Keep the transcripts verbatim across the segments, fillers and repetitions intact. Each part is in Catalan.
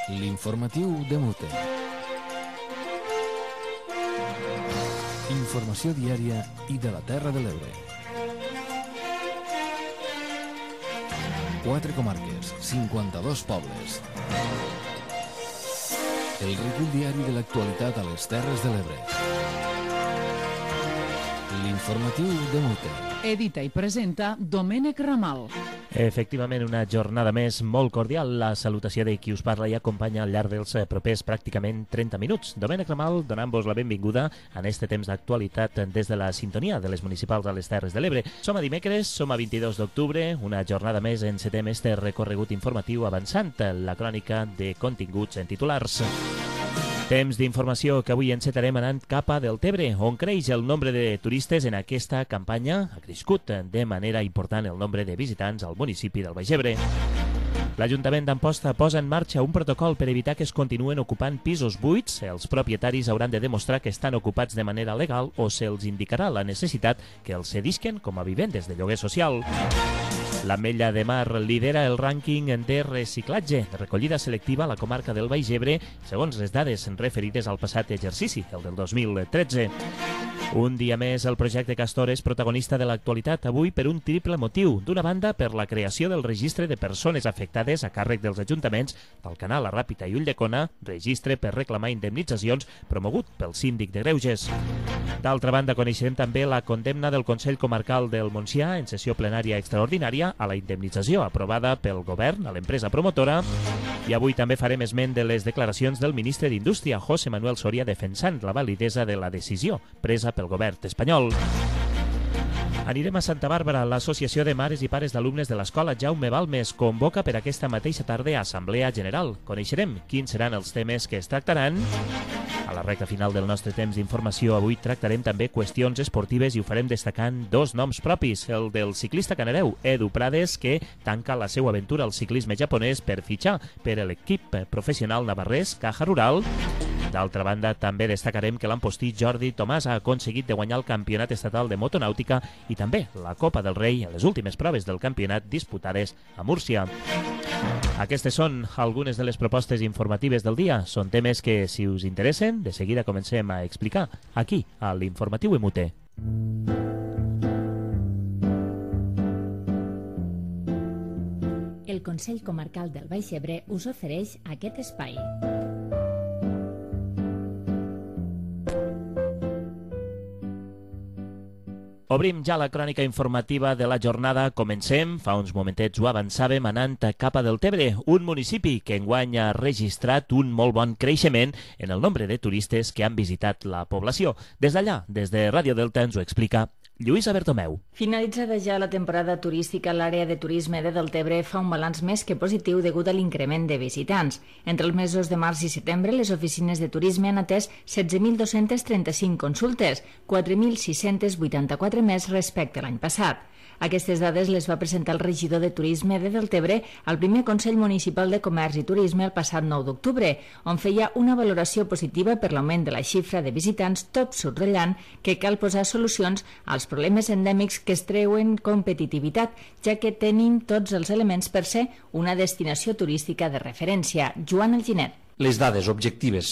L'informatiu de Mute. Informació diària i de la Terra de l'Ebre. Quatre comarques, cinquanta-dos pobles. El recull diari de l'actualitat a les Terres de l'Ebre. L'informatiu de Mute. Edita i presenta Domènec Ramal. Efectivament, una jornada més molt cordial. La salutació de qui us parla i acompanya al llarg dels propers pràcticament trenta minuts. Domènec Ramal, donant-vos la benvinguda en este temps d'actualitat des de la sintonia de les municipals a les Terres de l'Ebre. Som a dimecres, som a vint-i-dos d'octubre, una jornada més encetem este recorregut informatiu avançant la crònica de continguts en titulars. Temps d'informació que avui encetarem anant cap a Deltebre, on creix el nombre de turistes en aquesta campanya. Ha crescut de manera important el nombre de visitants al municipi del Baix Ebre. L'Ajuntament d'Amposta posa en marxa un protocol per evitar que es continuen ocupant pisos buits. Els propietaris hauran de demostrar que estan ocupats de manera legal o se'ls indicarà la necessitat que els cedisquen com a vivendes de lloguer social. L'Ametlla de Mar lidera el rànquing de reciclatge, de recollida selectiva a la comarca del Baix Ebre, segons les dades referides al passat exercici, el del dos mil tretze. Un dia més, el projecte Castor és protagonista de l'actualitat, avui per un triple motiu. D'una banda, per la creació del registre de persones afectades a càrrec dels ajuntaments del Canal, La Ràpita i Ulldecona, registre per reclamar indemnitzacions promogut pel síndic de Greuges. D'altra banda, coneixerem també la condemna del Consell Comarcal del Montsià en sessió plenària extraordinària a la indemnització aprovada pel govern a l'empresa promotora. I avui també farem esment de les declaracions del ministre d'Indústria, José Manuel Soria, defensant la validesa de la decisió presa pel govern espanyol. Anirem a Santa Bàrbara. L'Associació de Mares i Pares d'Alumnes de l'Escola Jaume Balmes convoca per aquesta mateixa tarda Assemblea General. Coneixerem quins seran els temes que es tractaran. A la recta final del nostre temps d'informació avui tractarem també qüestions esportives i ho farem destacant dos noms propis. El del ciclista canareu Edu Prades, que tanca la seva aventura al ciclisme japonès per fitxar per l'equip professional navarrès Caja Rural. D'altra banda, també destacarem que l'empostí Jordi Tomàs ha aconseguit de guanyar el campionat estatal de motonàutica i també la Copa del Rei en les últimes proves del campionat disputades a Múrcia. Aquestes són algunes de les propostes informatives del dia. Són temes que, si us interessen, de seguida comencem a explicar aquí, a l'Informatiu M U T. El Consell Comarcal del Baix Ebre us ofereix aquest espai. Obrim ja la crònica informativa de la jornada. Comencem. Fa uns momentets ho avançàvem anant cap a Deltebre, un municipi que enguany ha registrat un molt bon creixement en el nombre de turistes que han visitat la població. Des d'allà, des de Ràdio Delta, ens ho explica Lluïsa Bertomeu. Finalitzada ja la temporada turística, l'àrea de turisme de Deltebre fa un balanç més que positiu degut a l'increment de visitants. Entre els mesos de març i setembre, les oficines de turisme han atès setze mil dos-cents trenta-cinc consultes, quatre mil sis-cents vuitanta-quatre més respecte a l'any passat. Aquestes dades les va presentar el regidor de Turisme de Deltebre al primer Consell Municipal de Comerç i Turisme el passat nou d'octubre, on feia una valoració positiva per l'augment de la xifra de visitants, tot subratllant que cal posar solucions als problemes endèmics que es treuen competitivitat, ja que tenim tots els elements per ser una destinació turística de referència. Joan Alginet. Les dades objectives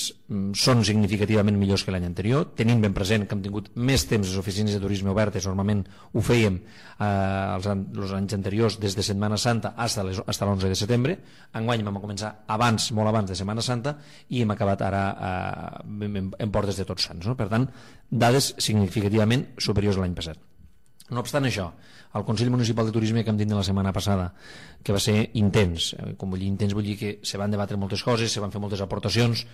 són significativament millors que l'any anterior, tenint ben present que hem tingut més temps les oficines de turisme obertes. Normalment ho fèiem eh, els, els anys anteriors des de Setmana Santa fins a l'onze de setembre. Enguany vam començar abans, molt abans de Setmana Santa, i hem acabat ara eh, en, en portes de Tots Sants, no? Per tant, dades significativament superiors a l'any passat. No obstant això, el Consell Municipal de Turisme que hem dit la setmana passada, que va ser intens, com vull dir intens vull dir que se van debatre moltes coses, se van fer moltes aportacions,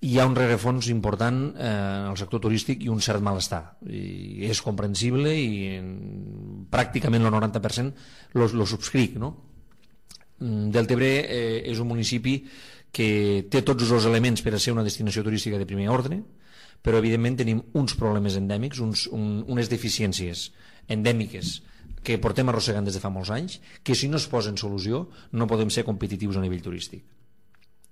hi ha un rerefons important eh, en el sector turístic i un cert malestar. I és comprensible i en, pràcticament el noranta per cent lo, lo subscric, no? Deltebre eh, és un municipi que té tots els elements per a ser una destinació turística de primer ordre, però evidentment tenim uns problemes endèmics, uns, un, unes deficiències endèmiques que portem arrossegant des de fa molts anys, que si no es posen solució no podem ser competitius a nivell turístic.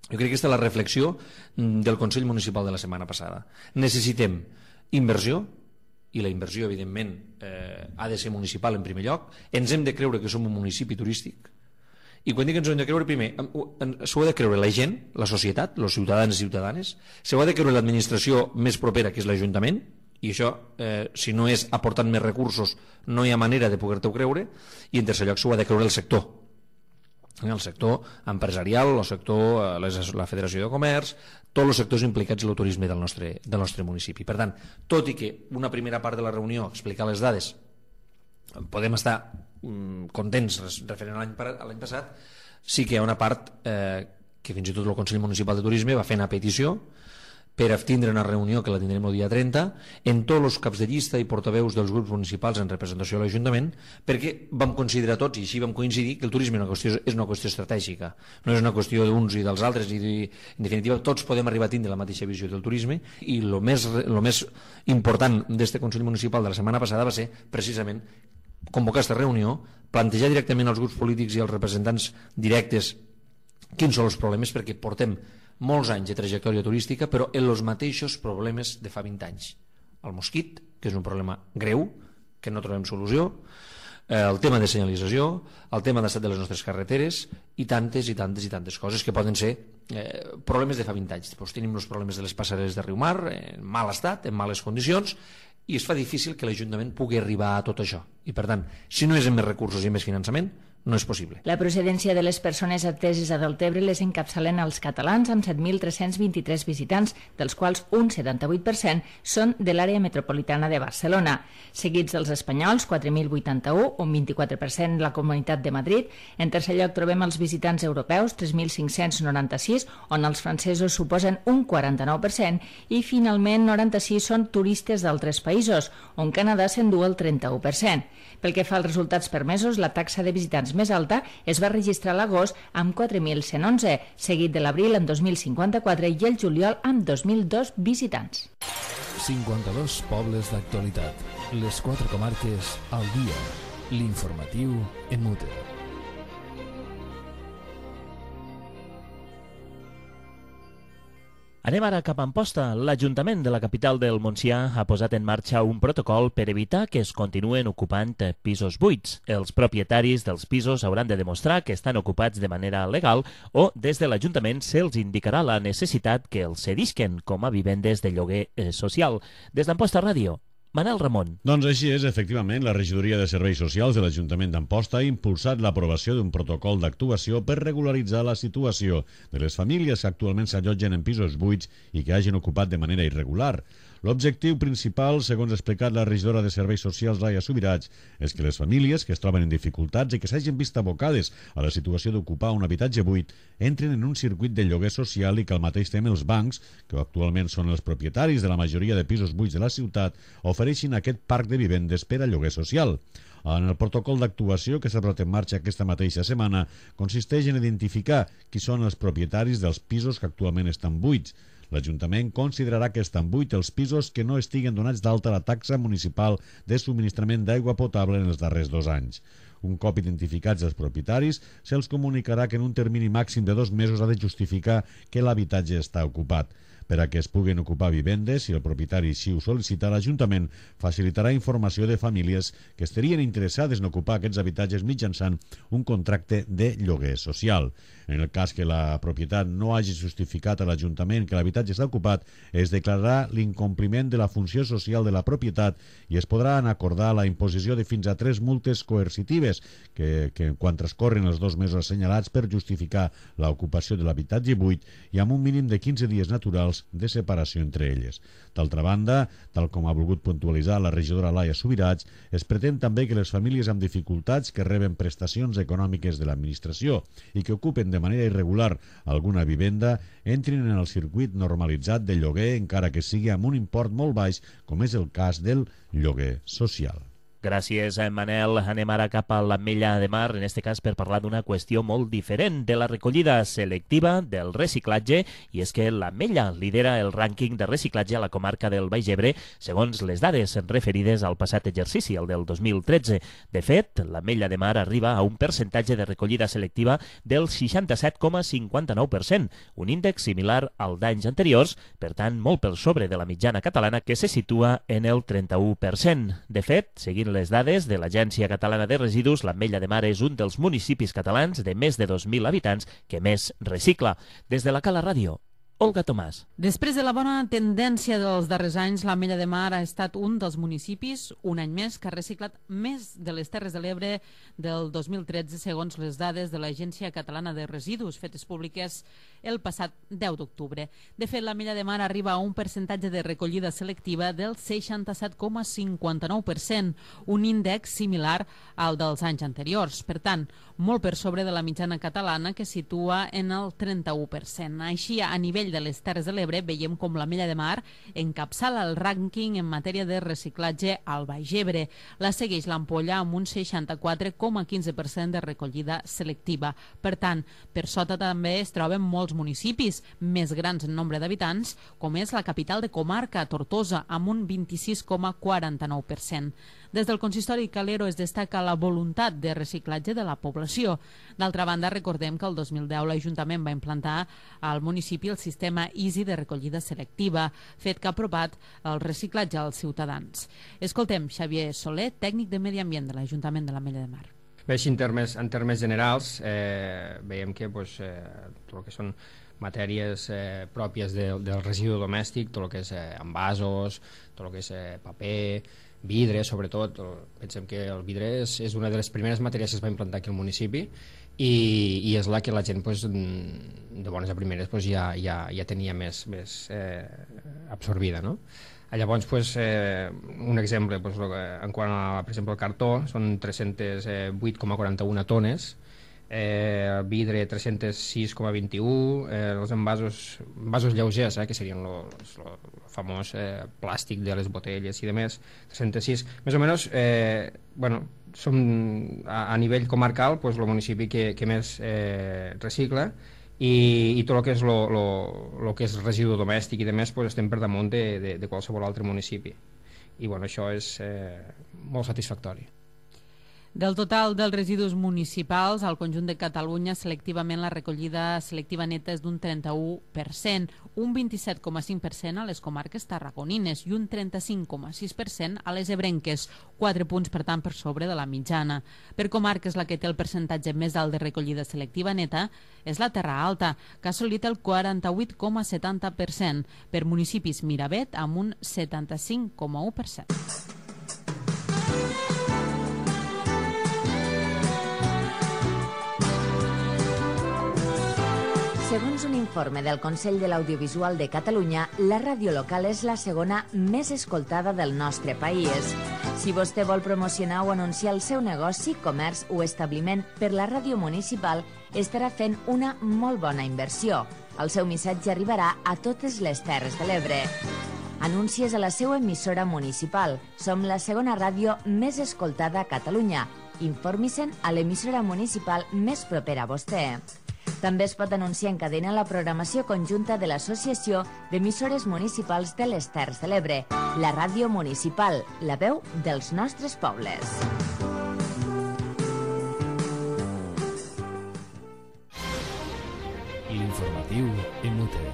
Jo crec que aquesta és la reflexió del Consell Municipal de la setmana passada. Necessitem inversió, i la inversió evidentment eh, ha de ser municipal en primer lloc. Ens hem de creure que som un municipi turístic I quan dic que ens ho hem de creure, primer, s'ho ha de creure la gent, la societat, els ciutadans i ciutadanes, s'ho ha de creure l'administració més propera, que és l'Ajuntament, i això, eh, si no és aportant més recursos, no hi ha manera de poder-t'ho creure, i en tercer lloc s'ho ha de creure el sector, el sector empresarial, el sector, la Federació de Comerç, tots els sectors implicats en el turisme del nostre, del nostre municipi. Per tant, tot i que una primera part de la reunió explicar les dades, podem estar mm, contents referent a l'any passat, sí que hi ha una part eh, que fins i tot el Consell Municipal de Turisme va fer una petició per a tindre una reunió que la tindrem el dia trenta en tots els caps de llista i portaveus dels grups municipals en representació de l'Ajuntament, perquè vam considerar tots, i així vam coincidir, que el turisme és una qüestió, és una qüestió estratègica, no és una qüestió d'uns i dels altres, i en definitiva tots podem arribar a tindre la mateixa visió del turisme, i el més, lo més important d'aquest Consell Municipal de la setmana passada va ser precisament convocar aquesta reunió, plantejar directament als grups polítics i als representants directes quins són els problemes, perquè portem molts anys de trajectòria turística, però en els mateixos problemes de fa vint anys. El mosquit, que és un problema greu, que no trobem solució, el tema de senyalització, el tema d'estat de les nostres carreteres, i tantes i tantes i tantes coses que poden ser eh, problemes de fa vint anys. Doncs tenim els problemes de les passareres de Riumar, en mal estat, en males condicions, i es fa difícil que l'Ajuntament pugui arribar a tot això. I per tant, si no és amb més recursos i més finançament, no és possible. La procedència de les persones ateses a Deltebre les encapçalen els catalans amb set mil tres-cents vint-i-tres visitants, dels quals un setanta-vuit per cent són de l'àrea metropolitana de Barcelona. Seguits dels espanyols, quatre mil vuitanta-u, un vint-i-quatre per cent la Comunitat de Madrid. En tercer lloc trobem els visitants europeus, tres mil cinc-cents noranta-sis, on els francesos suposen un quaranta-nou per cent, i finalment noranta-sis són turistes d'altres països, on Canadà s'endú el trenta-u per cent. Pel que fa als resultats permesos, la taxa de visitants més alta es va registrar a l'agost amb quatre mil cent onze, seguit de l'abril amb dos mil cinquanta-quatre i el juliol amb dos mil dos visitants. cinquanta-dos pobles d'actualitat, les quatre comarques al dia, l'informatiu en mute. Anem ara cap a Amposta. L'Ajuntament de la capital del Montsià ha posat en marxa un protocol per evitar que es continuen ocupant pisos buits. Els propietaris dels pisos hauran de demostrar que estan ocupats de manera legal o des de l'Ajuntament se'ls indicarà la necessitat que els cedisquen com a vivendes de lloguer social. Des d'Amposta Ràdio, Manel Ramon. Doncs així és, efectivament, la Regidoria de Serveis Socials de l'Ajuntament d'Amposta ha impulsat l'aprovació d'un protocol d'actuació per regularitzar la situació de les famílies que actualment s'allotgen en pisos buits i que hagin ocupat de manera irregular. L'objectiu principal, segons ha explicat la regidora de Serveis Socials, Laia Subirats, és que les famílies que es troben en dificultats i que s'hagin vist abocades a la situació d'ocupar un habitatge buit entrin en un circuit de lloguer social i que al mateix temps els bancs, que actualment són els propietaris de la majoria de pisos buits de la ciutat, ofereixin aquest parc de vivendes per a lloguer social. En el protocol d'actuació que s'ha posat en marxa aquesta mateixa setmana consisteix en identificar qui són els propietaris dels pisos que actualment estan buits. L'Ajuntament considerarà que estan buits els pisos que no estiguen donats d'alta a la taxa municipal de subministrament d'aigua potable en els darrers dos anys. Un cop identificats els propietaris, se'ls comunicarà que en un termini màxim de dos mesos ha de justificar que l'habitatge està ocupat. Per a que es puguen ocupar vivendes, si el propietari així ho sol·licita, l'Ajuntament facilitarà informació de famílies que estarien interessades en ocupar aquests habitatges mitjançant un contracte de lloguer social. En el cas que la propietat no hagi justificat a l'Ajuntament que l'habitatge està ocupat, es declararà l'incompliment de la funció social de la propietat i es podran acordar la imposició de fins a tres multes coercitives que, que quan transcorren els dos mesos assenyalats per justificar l'ocupació de l'habitatge buit i amb un mínim de quinze dies naturals de separació entre elles. D'altra banda, tal com ha volgut puntualitzar la regidora Laia Subirats, es pretén també que les famílies amb dificultats que reben prestacions econòmiques de l'administració i que ocupen de manera irregular alguna vivenda entrin en el circuit normalitzat de lloguer encara que sigui amb un import molt baix, com és el cas del lloguer social. Gràcies, Manel. Anem ara cap a l'Ametlla de Mar, en aquest cas per parlar d'una qüestió molt diferent, de la recollida selectiva del reciclatge, i és que l'Ametlla lidera el rànquing de reciclatge a la comarca del Baix Ebre, segons les dades referides al passat exercici, el del dos mil tretze. De fet, l'Ametlla de Mar arriba a un percentatge de recollida selectiva del seixanta-set coma cinquanta-nou per cent, un índex similar al d'anys anteriors, per tant, molt per sobre de la mitjana catalana, que se situa en el trenta-u per cent. De fet, seguint Segons les dades de l'Agència Catalana de Residus, l'Ametlla de Mar és un dels municipis catalans de més de dos mil habitants que més recicla. Des de la Cala Ràdio, Olga Tomàs. Després de la bona tendència dels darrers anys, l'Ametlla de Mar ha estat un dels municipis, un any més, que ha reciclat més de les Terres de l'Ebre del dos mil tretze, segons les dades de l'Agència Catalana de Residus, fetes públiques el passat deu d'octubre. De fet, l'Ametlla de Mar arriba a un percentatge de recollida selectiva del seixanta-set coma cinquanta-nou per cent, un índex similar al dels anys anteriors. Per tant, molt per sobre de la mitjana catalana, que situa en el trenta-u per cent. Així, a nivell de les Terres de l'Ebre, veiem com l'Ametlla de Mar encapçala el rànquing en matèria de reciclatge al Baix Ebre. La segueix l'Ampolla amb un seixanta-quatre coma quinze per cent de recollida selectiva. Per tant, per sota també es troben molts municipis més grans en nombre d'habitants, com és la capital de comarca, Tortosa, amb un vint-i-sis coma quaranta-nou per cent. Des del consistori Calero es destaca la voluntat de reciclatge de la població. D'altra banda, recordem que el dos mil deu l'Ajuntament va implantar al municipi el sistema Easy de recollida selectiva, fet que ha apropat el reciclatge als ciutadans. Escoltem Xavier Soler, tècnic de Medi Ambient de l'Ajuntament de l'Ametlla de Mar. Bé, en termes, en termes generals, eh, veiem que pues, eh, tot el que són matèries eh, pròpies de, del residu domèstic, tot el que és eh, envasos, tot el que és eh, paper, vidre, sobretot. Pensem que el vidre és, és una de les primeres matèries que es va implantar aquí al municipi i, i és la que la gent pues, de bones a primeres pues, ja, ja, ja tenia més, més eh, absorbida, no? Llavors, pues, eh, un exemple, pues, en quant a, per exemple, el cartó, són tres-cents vuit coma quaranta-u tones, eh, vidre tres-cents sis coma vint-i-u, eh, els envasos, envasos lleugers, eh, que serien el famós eh, plàstic de les botelles i demés, tres-cents sis. Més o menys, eh, bueno, som a, a nivell comarcal pues, el municipi que, que més eh, recicla, i, i tot el que és, lo, lo, lo que és residu domèstic i demés pues, estem per damunt de, de, de qualsevol altre municipi. I bueno, això és eh, molt satisfactori. Del total dels residus municipals, al conjunt de Catalunya, selectivament la recollida selectiva neta és d'un trenta-u per cent, un vint-i-set coma cinc per cent a les comarques tarragonines i un trenta-cinc coma sis per cent a les ebrenques, quatre punts per tant per sobre de la mitjana. Per comarques, la que té el percentatge més alt de recollida selectiva neta és la Terra Alta, que ha assolit el quaranta-vuit coma setanta per cent, per municipis Miravet amb un setanta-cinc coma u per cent. Segons un informe del Consell de l'Audiovisual de Catalunya, la ràdio local és la segona més escoltada del nostre país. Si vostè vol promocionar o anunciar el seu negoci, comerç o establiment per la ràdio municipal, estarà fent una molt bona inversió. El seu missatge arribarà a totes les Terres de l'Ebre. Anuncies a la seva emissora municipal. Som la segona ràdio més escoltada a Catalunya. Informi-se'n a l'emissora municipal més propera a vostè. També es pot anunciar en cadena la programació conjunta de l'Associació d'Emissores Municipals de les Terres de l'Ebre, la ràdio municipal, la veu dels nostres pobles. L'informatiu en Mute.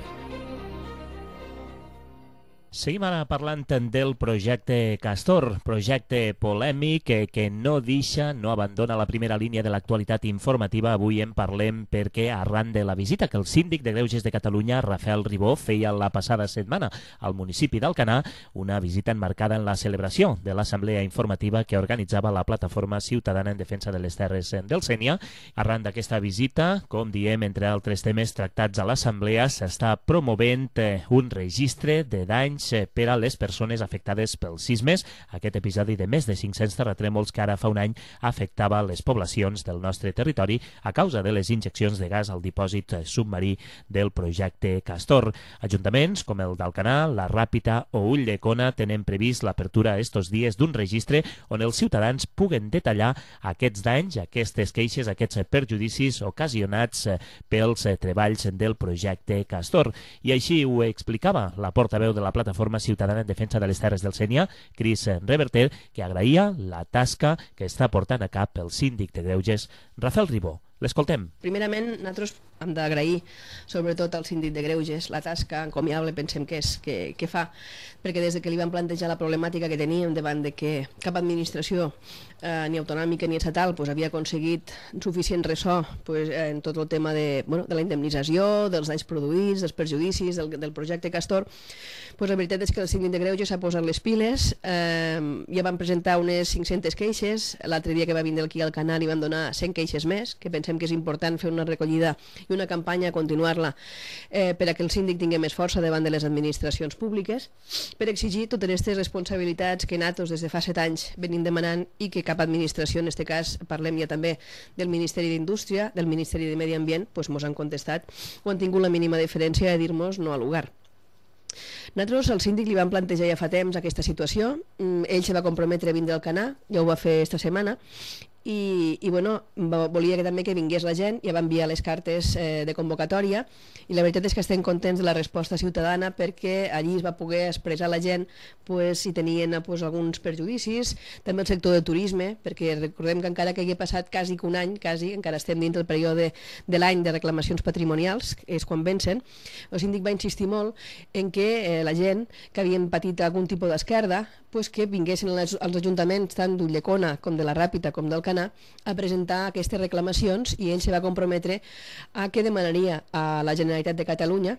Seguim ara parlant del projecte Castor, projecte polèmic que, que no deixa, no abandona la primera línia de l'actualitat informativa. Avui en parlem perquè arran de la visita que el síndic de Greuges de Catalunya, Rafael Ribó, feia la passada setmana al municipi d'Alcanar, una visita enmarcada en la celebració de l'assemblea informativa que organitzava la Plataforma Ciutadana en Defensa de les Terres del Sénia. Arran d'aquesta visita, com diem, entre altres temes tractats a l'assemblea, s'està promovent un registre de danys per a les persones afectades pels sismes, aquest episodi de més de cinc-cents terratrèmols que ara fa un any afectava les poblacions del nostre territori a causa de les injeccions de gas al dipòsit submarí del projecte Castor. Ajuntaments com el d'Alcanar, la Ràpita o Ulldecona tenen previst l'apertura estos dies d'un registre on els ciutadans puguen detallar aquests danys, aquestes queixes, aquests perjudicis ocasionats pels treballs del projecte Castor. I així ho explicava la portaveu de la Plataforma Ciutadana en Defensa de les Terres del Sénia, Cris Reverter, que agraïa la tasca que està portant a cap el síndic de Greuges, Rafael Ribó. L'escoltem. Primerament, nosaltres hem d'agrair sobretot al síndic de Greuges la tasca encomiable, pensem que, és, que, que fa, perquè des de que li vam plantejar la problemàtica que teníem davant de que cap administració eh, ni autonòmica ni estatal pues, havia aconseguit suficient ressò pues, en tot el tema de, bueno, de la indemnització, dels danys produïts, dels perjudicis, del, del projecte Castor, pues, la veritat és que el síndic de Greuges s'ha posat les piles, eh, ja van presentar unes cinc-centes queixes, l'altre dia que va vindre aquí al canal i van donar cent queixes més, que pensem que és important fer una recollida i una campanya, continuar-la eh, per a que el síndic tingui més força davant de les administracions públiques, per exigir totes aquestes responsabilitats que nosaltres des de fa set anys venim demanant i que cap administració, en aquest cas parlem ja també del Ministeri d'Indústria, del Ministeri de Medi Ambient, doncs mos han contestat o han tingut la mínima diferència de dir-nos no al lugar. Nosaltres al síndic li vam plantejar ja fa temps aquesta situació, ell se va comprometre a vindre al Canà, ja ho va fer esta setmana, i, i bueno, volia que també que vingués la gent, ja va enviar les cartes eh, de convocatòria i la veritat és que estem contents de la resposta ciutadana perquè allí es va poder expressar la gent pues, si tenien pues, alguns perjudicis, també el sector de turisme, perquè recordem que encara que hagi passat quasi que un any, quasi, encara estem dins del període de l'any de reclamacions patrimonials, que és quan vencen, el síndic va insistir molt en que eh, la gent que havien patit algun tipus d'esquerda pues, que vinguessin als, als ajuntaments tant d'Ulldecona com de la Ràpita com del Canà a presentar aquestes reclamacions i ell se va comprometre a que demanaria a la Generalitat de Catalunya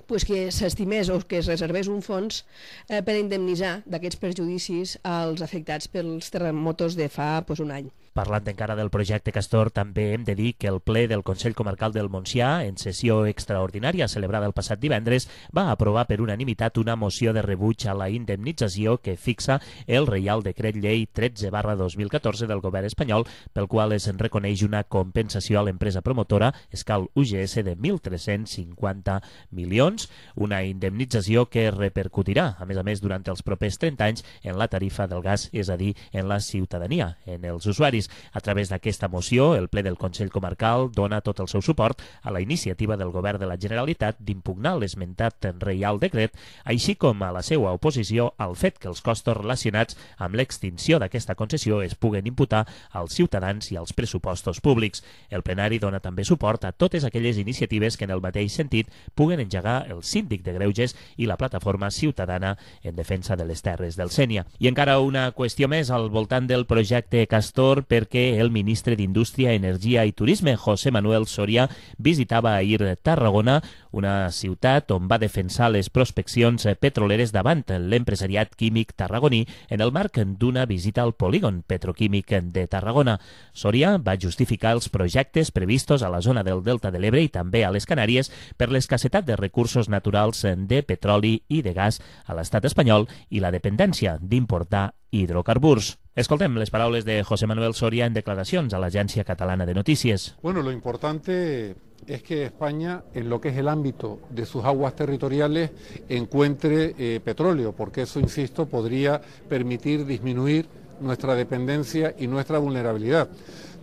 pues que s'estimés o que es reservés un fons eh, per indemnitzar d'aquests perjudicis als afectats pels terremotos de fa pues, un any. Parlant encara del projecte Castor, també hem de dir que el ple del Consell Comarcal del Montsià, en sessió extraordinària celebrada el passat divendres, va aprovar per unanimitat una moció de rebuig a la indemnització que fixa el Reial Decret Llei tretze barra dos mil catorze del govern espanyol, pel qual es reconeix una compensació a l'empresa promotora Escal U G S de mil tres-cents cinquanta milions, una indemnització que repercutirà, a més a més, durant els propers trenta anys en la tarifa del gas, és a dir, en la ciutadania, en els usuaris. A través d'aquesta moció, el ple del Consell Comarcal dona tot el seu suport a la iniciativa del Govern de la Generalitat d'impugnar l'esmentat Reial Decret, així com a la seva oposició al fet que els costos relacionats amb l'extinció d'aquesta concessió es puguen imputar als ciutadans i als pressupostos públics. El plenari dona també suport a totes aquelles iniciatives que en el mateix sentit puguen engegar el síndic de Greuges i la plataforma ciutadana en defensa de les terres del Sénia. I encara una qüestió més al voltant del projecte Castor, perquè el ministre d'Indústria, Energia i Turisme, José Manuel Soria, visitava ahir Tarragona, una ciutat on va defensar les prospeccions petroleres davant l'empresariat químic tarragoní en el marc d'una visita al polígon petroquímic de Tarragona. Soria va justificar els projectes previstos a la zona del Delta de l'Ebre i també a les Canàries per l'escassetat de recursos naturals de petroli i de gas a l'estat espanyol i la dependència d'importar hidrocarburs. Escoltem les paraules de José Manuel Soria en declaracions a l'Agència Catalana de Notícies. Bueno, lo importante es que España, en lo que es el ámbito de sus aguas territoriales, encuentre eh, petróleo, porque eso, insisto, podría permitir disminuir nuestra dependencia y nuestra vulnerabilidad.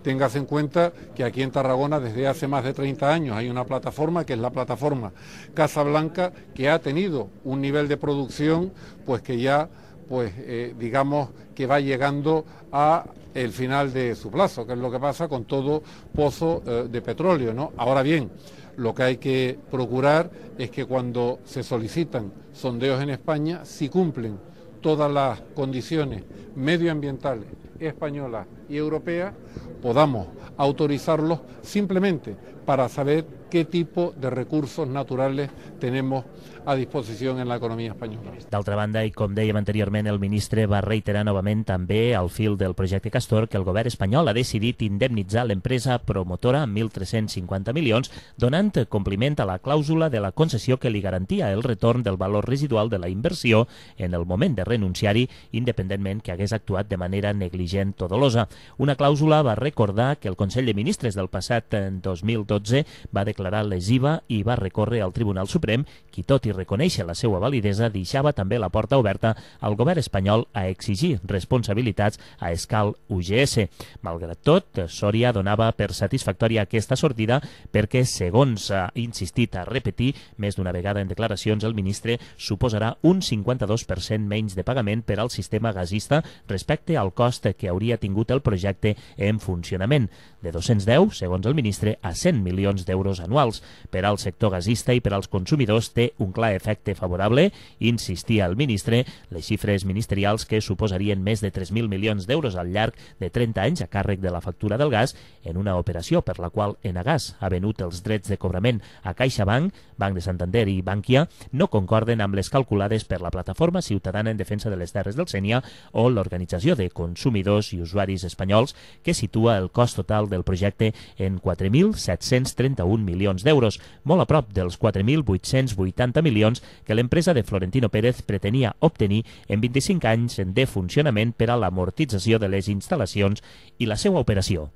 Téngase en cuenta que aquí en Tarragona desde hace más de treinta años hay una plataforma que es la plataforma Casablanca, que ha tenido un nivel de producción pues que ya pues eh, digamos que va llegando a el final de su plazo, que es lo que pasa con todo pozo eh, de petróleo, ¿no? Ahora bien, lo que hay que procurar es que cuando se solicitan sondeos en España, si cumplen todas las condiciones medioambientales españolas y europeas, podamos autorizarlos simplemente para saber qué tipo de recursos naturales tenemos a disposició en l'economia espanyola. D'altra banda, i com dèiem anteriorment, el ministre va reiterar novament també al fil del projecte Castor que el govern espanyol ha decidit indemnitzar l'empresa promotora amb mil tres-cents cinquanta milions, donant compliment a la clàusula de la concessió que li garantia el retorn del valor residual de la inversió en el moment de renunciar-hi, independentment que hagués actuat de manera negligent o dolosa. Una clàusula va recordar que el Consell de Ministres del passat dos mil dotze va declarar lesiva i va recórrer al Tribunal Suprem, qui tot i reconèixer la seva validesa deixava també la porta oberta al govern espanyol a exigir responsabilitats a Escal U G S. Malgrat tot, Soria donava per satisfactòria aquesta sortida perquè, segons ha insistit a repetir més d'una vegada en declaracions, el ministre suposarà un cinquanta-dos per cent menys de pagament per al sistema gasista respecte al cost que hauria tingut el projecte en funcionament, de dos-cents deu, segons el ministre, a cent milions d'euros anuals. Per al sector gasista i per als consumidors té un clar efecte favorable, insistia el ministre, les xifres ministerials que suposarien més de tres mil milions d'euros al llarg de trenta anys a càrrec de la factura del gas en una operació per la qual Enagas ha venut els drets de cobrament a CaixaBank, Banc de Santander i Bankia, no concorden amb les calculades per la Plataforma Ciutadana en Defensa de les Terres del Sénia o l'Organització de Consumidors i Usuaris Espanyols, que situa el cost total del projecte en quatre mil set-cents trenta-un milions d'euros, molt a prop dels quatre mil vuit-cents vuitanta milions que l'empresa de Florentino Pérez pretenia obtenir en vint-i-cinc anys de funcionament per a l'amortització de les instal·lacions i la seva operació.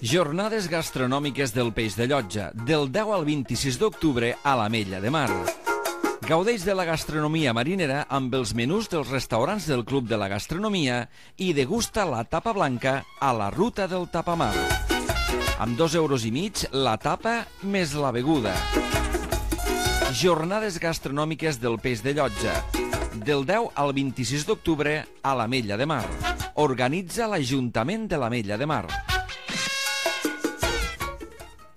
Jornades gastronòmiques del Peix de Llotja, del deu al vint-i-sis d'octubre a l'Ametlla de Mar. Gaudeix de la gastronomia marinera amb els menús dels restaurants del Club de la Gastronomia i degusta la tapa blanca a la Ruta del Tapamar. Amb dos euros i mig la tapa més la beguda. Jornades gastronòmiques del Peix de Llotja, del deu al vint-i-sis d'octubre a l'Ametlla de Mar. Organitza l'Ajuntament de l'Ametlla de Mar.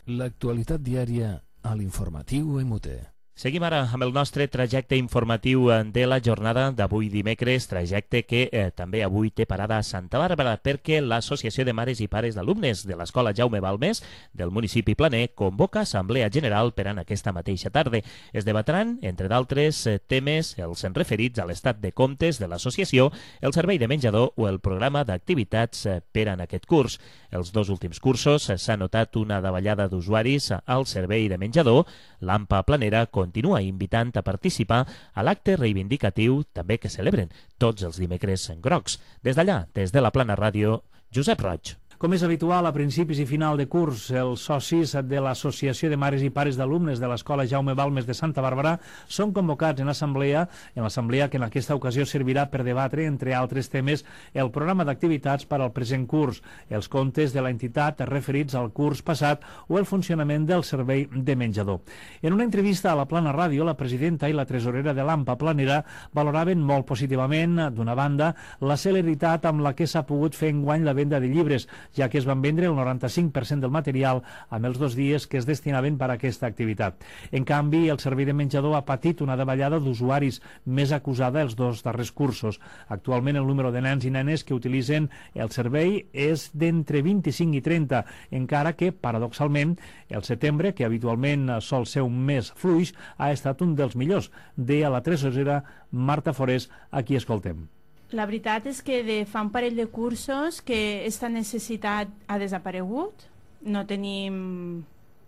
L'actualitat diària a l'informatiu E M U T E. Seguim ara amb el nostre trajecte informatiu de la jornada d'avui dimecres, trajecte que eh, també avui té parada a Santa Bàrbara perquè l'Associació de Mares i Pares d'Alumnes de l'Escola Jaume Balmes del municipi planer convoca assemblea general per en aquesta mateixa tarda. Es debatran, entre d'altres eh, temes, els referits a l'estat de comptes de l'associació, el servei de menjador o el programa d'activitats eh, per en aquest curs. Els dos últims cursos eh, s'ha notat una davallada d'usuaris al servei de menjador. L'AMPA Planera continua invitant a participar a l'acte reivindicatiu també que celebren tots els dimecres en grocs. Des d'allà, des de la Plana Ràdio, Josep Roig. Com és habitual, a principis i final de curs, els socis de l'Associació de Mares i Pares d'Alumnes de l'Escola Jaume Balmes de Santa Bàrbara són convocats en assemblea, en l'assemblea que en aquesta ocasió servirà per debatre, entre altres temes, el programa d'activitats per al present curs, els comptes de l'entitat referits al curs passat o el funcionament del servei de menjador. En una entrevista a la Plana Ràdio, la presidenta i la tresorera de l'AMPA Planera valoraven molt positivament, d'una banda, la celeritat amb la que s'ha pogut fer enguany la venda de llibres, ja que es van vendre el noranta-cinc per cent del material amb els dos dies que es destinaven per a aquesta activitat. En canvi, el servei de menjador ha patit una davallada d'usuaris més acusada els dos darrers cursos. Actualment, el número de nens i nenes que utilitzen el servei és d'entre vint-i-cinc i trenta, encara que, paradoxalment, el setembre, que habitualment sol ser un mes fluix, ha estat un dels millors. Deia la tresorera Marta Forés, a qui escoltem. La veritat és que de fa un parell de cursos que aquesta necessitat ha desaparegut. No tenim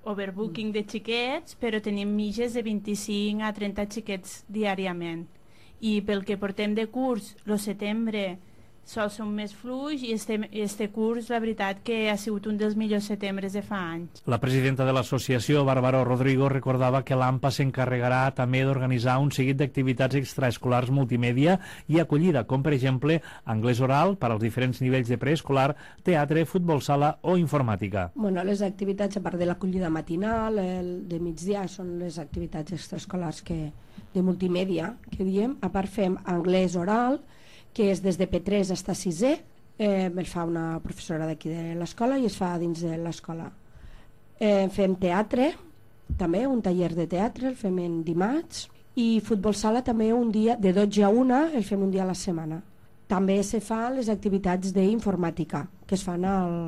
overbooking de xiquets, però tenim mitges de vint-i-cinc a trenta xiquets diàriament. I pel que portem de curs, el setembre sol ser un més fluix i este, este curs, la veritat, que ha sigut un dels millors setembres de fa anys. La presidenta de l'associació, Bàrbara Rodrigo, recordava que l'AMPA s'encarregarà també d'organitzar un seguit d'activitats extraescolars multimèdia i acollida, com per exemple anglès oral per als diferents nivells de preescolar, teatre, futbol sala o informàtica. Bueno, les activitats, a part de l'acollida matinal, el de migdia, són les activitats extraescolars que, de multimèdia, que diem. A part fem anglès oral, que és des de P tres fins a sisè, eh, el fa una professora d'aquí de l'escola i es fa dins de l'escola. Eh, fem teatre, també un taller de teatre, el fem en dimarts, i futbol sala també un dia, de dotze a una, el fem un dia a la setmana. També se fan les activitats d'informàtica, que es fan al,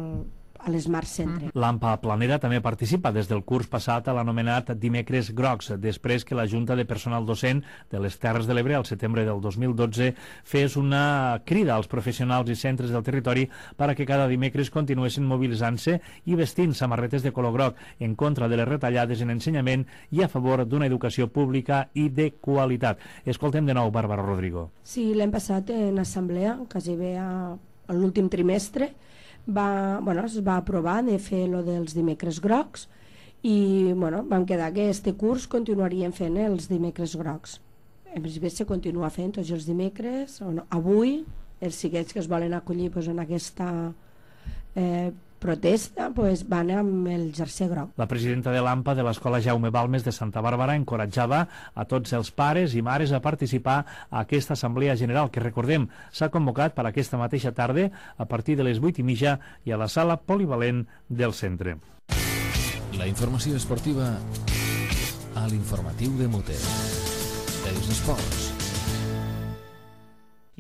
a l'Smart Centre. L'AMPA Planera també participa des del curs passat a l'anomenat Dimecres Grocs, després que la Junta de Personal Docent de les Terres de l'Ebre al setembre del dos mil dotze fes una crida als professionals i centres del territori per a que cada dimecres continuessin mobilitzant-se i vestint samarretes de color groc en contra de les retallades en ensenyament i a favor d'una educació pública i de qualitat. Escoltem de nou Bàrbara Rodrigo. Sí, l'hem passat en assemblea, quasi bé a, a l'últim trimestre, Va, bueno, es va aprovar de fer lo dels dimecres grocs i bueno, vam quedar que este curs continuaríem fent els dimecres grocs. En principi se continua fent tots els dimecres. No, avui els xiquets que es volen acollir pues, en aquesta eh, protesta pues, van amb el jersei groc. La presidenta de l'AMPA de l'Escola Jaume Balmes de Santa Bàrbara encoratjava a tots els pares i mares a participar a aquesta assemblea general que, recordem, s'ha convocat per aquesta mateixa tarda a partir de les vuit i mitja i a la sala polivalent del centre. La informació esportiva a l'informatiu de Mute. Els esports.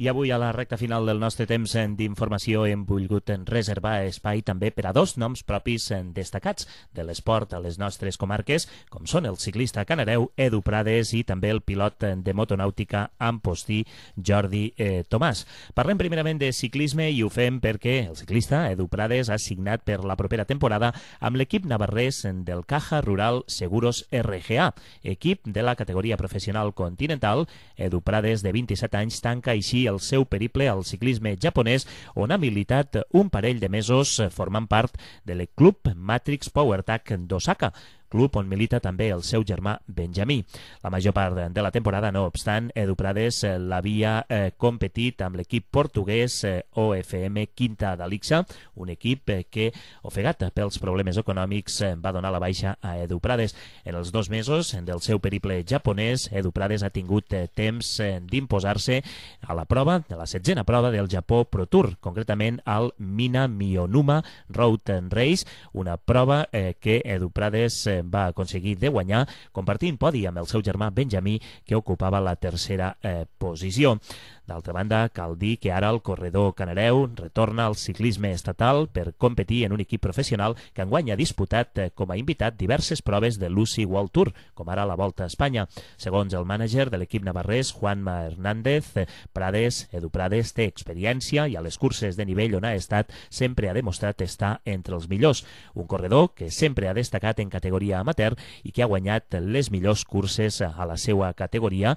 I avui, a la recta final del nostre temps d'informació, hem volgut reservar espai també per a dos noms propis destacats de l'esport a les nostres comarques, com són el ciclista canareu Edu Prades i també el pilot de motonàutica Amposti Jordi eh, Tomàs. Parlem primerament de ciclisme i ho fem perquè el ciclista Edu Prades ha signat per la propera temporada amb l'equip navarrès del Caja Rural Seguros R G A, equip de la categoria professional continental. Edu Prades, de vint-i-set anys, tanca així el seu periple al ciclisme japonès, on ha militat un parell de mesos formant part del club Matrix PowerTech d'Osaka, club on milita també el seu germà Benjamí. La major part de la temporada, no obstant, Edu Prades l'havia eh, competit amb l'equip portuguès eh, O F M Quinta d'Alixa, un equip eh, que, ofegat pels problemes econòmics, eh, va donar la baixa a Edu Prades. En els dos mesos del seu periple japonès, Edu Prades ha tingut eh, temps eh, d'imposar-se a la prova, de la setzena prova del Japó Pro Tour, concretament al Mina Miyonuma Road Race, una prova eh, que Edu Prades eh, va aconseguir de guanyar, compartint podi amb el seu germà Benjamí, que ocupava la tercera eh, posició. D'altra banda, cal dir que ara el corredor canareu retorna al ciclisme estatal per competir en un equip professional que enguany ha disputat eh, com a invitat diverses proves de l'U C I World Tour, com ara la Volta a Espanya. Segons el mànager de l'equip navarrès, Juanma Hernández, eh, Prades, Edu Prades té experiència i a les curses de nivell on ha estat sempre ha demostrat estar entre els millors. Un corredor que sempre ha destacat en categoria amateur i que ha guanyat les millors curses a la seva categoria,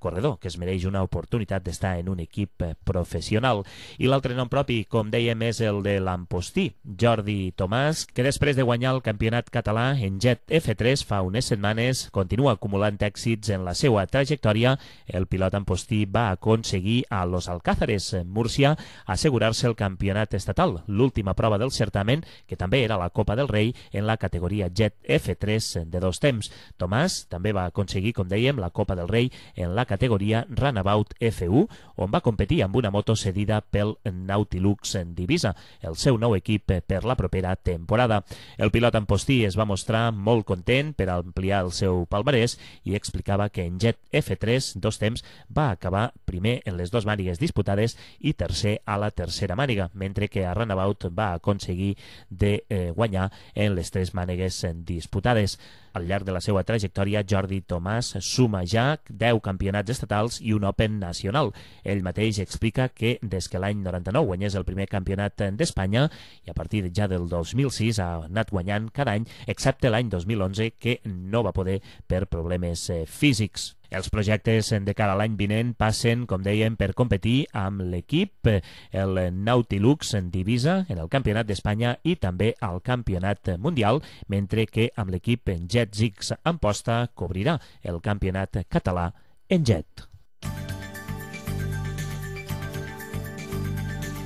corredor que es mereix una oportunitat d'estar en un equip professional. I l'altre nom propi, com dèiem, és el de l'Ampostí, Jordi Tomàs, que després de guanyar el campionat català en Jet F tres fa unes setmanes continua acumulant èxits en la seva trajectòria. El pilot Ampostí va aconseguir a Los Alcázares, Múrcia, assegurar-se el campionat estatal, l'última prova del certamen, que també era la Copa del Rei en la categoria Jet F tres de dos temps. Tomàs també va aconseguir, com dèiem, la Copa del Rei en la categoria Runabout F u, on va competir amb una moto cedida pel Nautilus Divisa, el seu nou equip per la propera temporada. El pilot Ampostí es va mostrar molt content per ampliar el seu palmarès i explicava que en Jet F tres, dos temps, va acabar primer en les dues mànigues disputades i tercer a la tercera màniga, mentre que a Runabout va aconseguir de eh, guanyar en les tres mànigues disputades. Al llarg de la seva trajectòria, Jordi Tomàs suma ja deu campionats estatals i un Open nacional. Ell mateix explica que des que l'any noranta-nou guanyés el primer campionat d'Espanya i a partir ja del dos mil sis ha anat guanyant cada any, excepte l'any dos mil onze, que no va poder per problemes eh, físics. Els projectes de cara a l'any vinent passen, com dèiem, per competir amb l'equip, el Nautilus Divisa, en el Campionat d'Espanya i també al Campionat Mundial, mentre que amb l'equip Jet Zix Amposta cobrirà el Campionat Català en jet.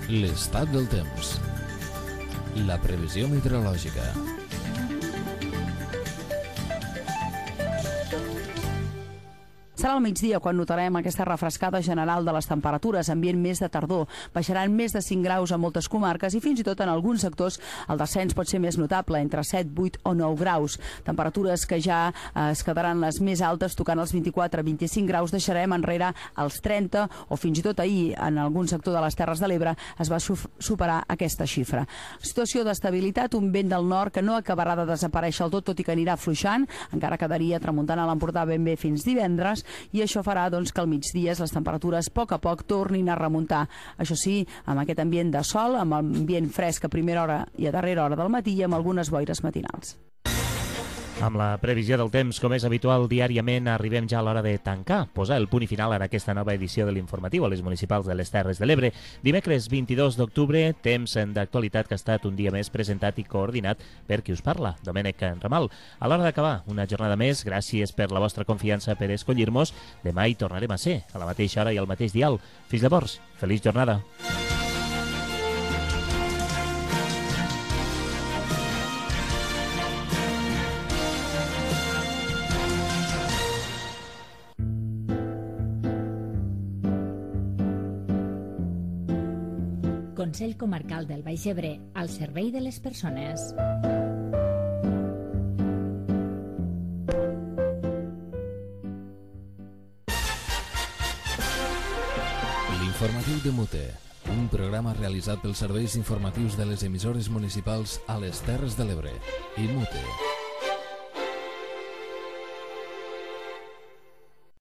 L'estat del temps. La previsió meteorològica. Serà al migdia quan notarem aquesta refrescada general de les temperatures, ambient més de tardor. Baixaran més de cinc graus a moltes comarques i fins i tot en alguns sectors el descens pot ser més notable, entre set, vuit o nou graus. Temperatures que ja eh, es quedaran les més altes, tocant els vint-i-quatre a vint-i-cinc graus, deixarem enrere els trenta o fins i tot ahir en algun sector de les Terres de l'Ebre es va superar aquesta xifra. Situació d'estabilitat, un vent del nord que no acabarà de desaparèixer del tot, tot i que anirà afluixant, encara quedaria tramuntant a l'Empordà ben bé fins divendres, i això farà doncs, que al migdia les temperatures a poc a poc tornin a remuntar. Això sí, amb aquest ambient de sol, amb ambient fresc a primera hora i a darrera hora del matí i amb algunes boires matinals. Amb la previsió del temps, com és habitual diàriament, arribem ja a l'hora de tancar, posar el punt i final en aquesta nova edició de l'informatiu a les municipals de les Terres de l'Ebre. Dimecres vint-i-dos d'octubre, temps d'actualitat que ha estat un dia més presentat i coordinat per qui us parla, Domènec Ramal. A l'hora d'acabar, una jornada més, gràcies per la vostra confiança per escollir-nos. Demà hi tornarem a ser, a la mateixa hora i al mateix dial. Fins llavors, feliç jornada. Consell Comarcal del Baix Ebre, al servei de les persones. L'informatiu de Mute, un programa realitzat pels serveis informatius de les emissores municipals a les Terres de l'Ebre i Mute.